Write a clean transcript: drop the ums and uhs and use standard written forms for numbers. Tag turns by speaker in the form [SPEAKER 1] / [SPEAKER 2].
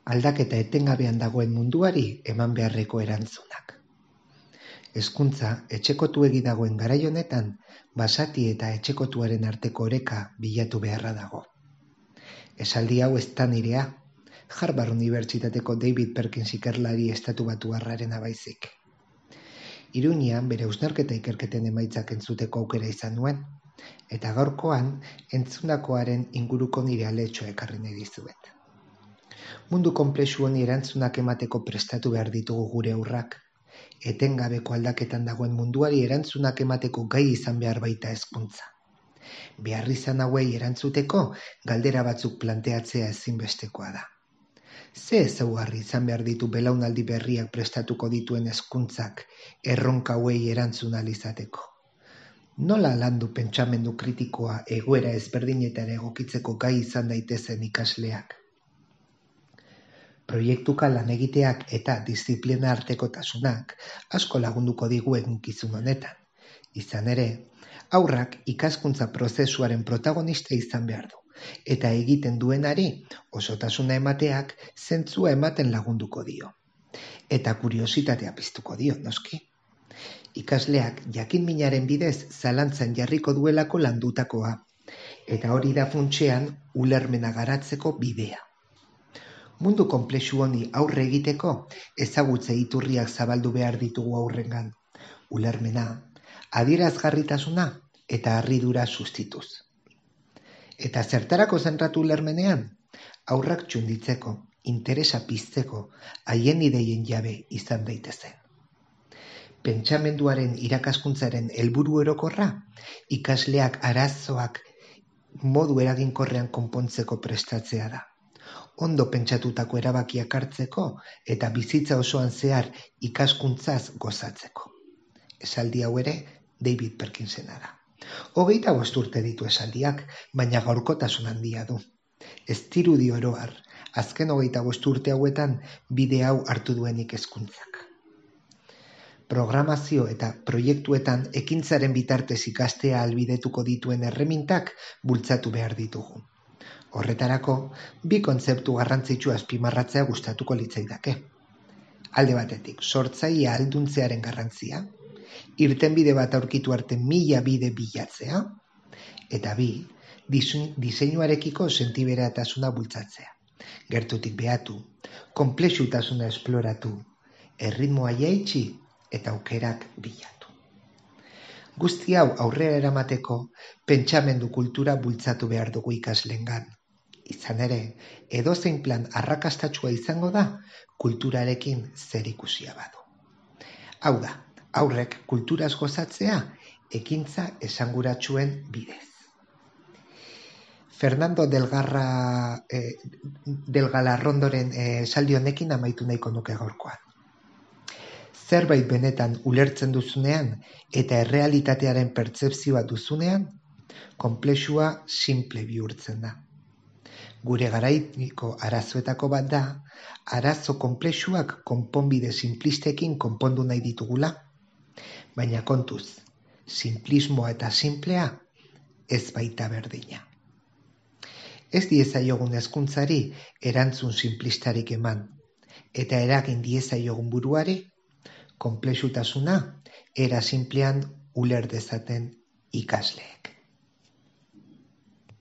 [SPEAKER 1] aldaketa etengabean dagoen munduari eman beharreko erantzunak. Hezkuntza etxekotuegi dagoen garai honetan, basati eta etxekotuaren arteko oreka bilatu beharra dago. Esaldi hau ez da nirea, Harvard Unibertsitateko David Perkins ikerlari estatubatuarrarena baizik. Iruñean bere hausnarketa ikerketen emaitzak entzuteko aukera izan nuen, eta gaurkoan entzundakoaren inguruko nire aletxoa ekarri nahi dizuet. Mundu konplexu honi erantzunak emateko prestatu behar ditugu gure haurrak, etengabeko aldaketan dagoen munduari erantzunak emateko gai izan behar baita hezkuntza. Beharrizan hauei erantzuteko galdera batzuk planteatzea ezinbestekoa da. Ze ezaugarri izan behar ditu belaunaldi berriak prestatuko dituen hezkuntzak erronka hauei erantzun ahal izateko? Nola landu pentsamendu kritikoa egoera ezberdinetara egokitzeko gai izan daitezen ikasleak? Proiektuka lan egiteak eta diziplina artekotasunak asko lagunduko digu eginkizun honetan. Izan ere, haurrak ikaskuntza prozesuaren protagonista izan behar du, eta egiten duenari osotasuna emateak zentzua ematen lagunduko dio. Eta kuriositatea piztuko dio, noski. Ikasleak jakin-minaren bidez zalantzan jarriko duelako landutakoa, eta hori da funtsean ulermena garatzeko bidea. Mundu konplexu honi aurre egiteko ezagutze iturriak zabaldu behar ditugu aurrengan. Ulermena, adierazgarritasuna eta harridura sustituz. Eta zertarako zentratu ulermenean? Haurrak txunditzeko, interesa pizteko, haien ideien jabe izan daitezen. Pentsamenduaren irakaskuntzaren helburu orokorra, ikasleak arazoak modu eraginkorrean konpontzeko prestatzea da. Ondo pentsatutako erabakiak hartzeko eta bizitza osoan zehar ikaskuntzaz gozatzeko. Esaldi hau ere David Perkinsena da. 25 urte ditu esaldiak, baina gaurkotasun handia du. Ez dirudi oro har, azken 25 urte hauetan bide hau hartu duenik hezkuntzak. Programazio eta proiektuetan ekintzaren bitartez ikastea ahalbidetuko dituen erremintak bultzatu behar ditugu. Horretarako, bi kontzeptu garrantzitsu azpimarratzea gustatuko litzaidake. Alde batetik, sortzailea ahalduntzearen garrantzia, irtenbide bat aurkitu arte 1000 bide bilatzea, eta bi, diseinuarekiko sentiberatasuna bultzatzea. Gertutik behatu, konplexutasuna esploratu, erritmoa jaitsi eta aukerak bilatu. Guzti hau aurrera eramateko pentsamendu kultura bultzatu behar dugu ikasleengan. Izan ere, edozein plan arrakastatsua izango da kulturarekin zerikusia badu. Hau da, haurrek kulturaz gozatzea ekintza esanguratsuen bidez. Fernando del Galarrondoren esaldi honekin amaitu nahiko nuke gaurkoan. Zerbait benetan ulertzen duzunean eta errealitatearen pertzepzioa duzunean, konplexua simple bihurtzen da. Gure garaiko arazoetako bat da, arazo konplexuak konponbide simplistekin konpondu nahi ditugula, baina kontuz, simplismoa eta simplea ez baita berdina. Ez diezaiogun hezkuntzari erantzun simplistarik eman, eta eragin diezaiogun buruari, konplexutasuna era simplean uler dezaten ikasleek.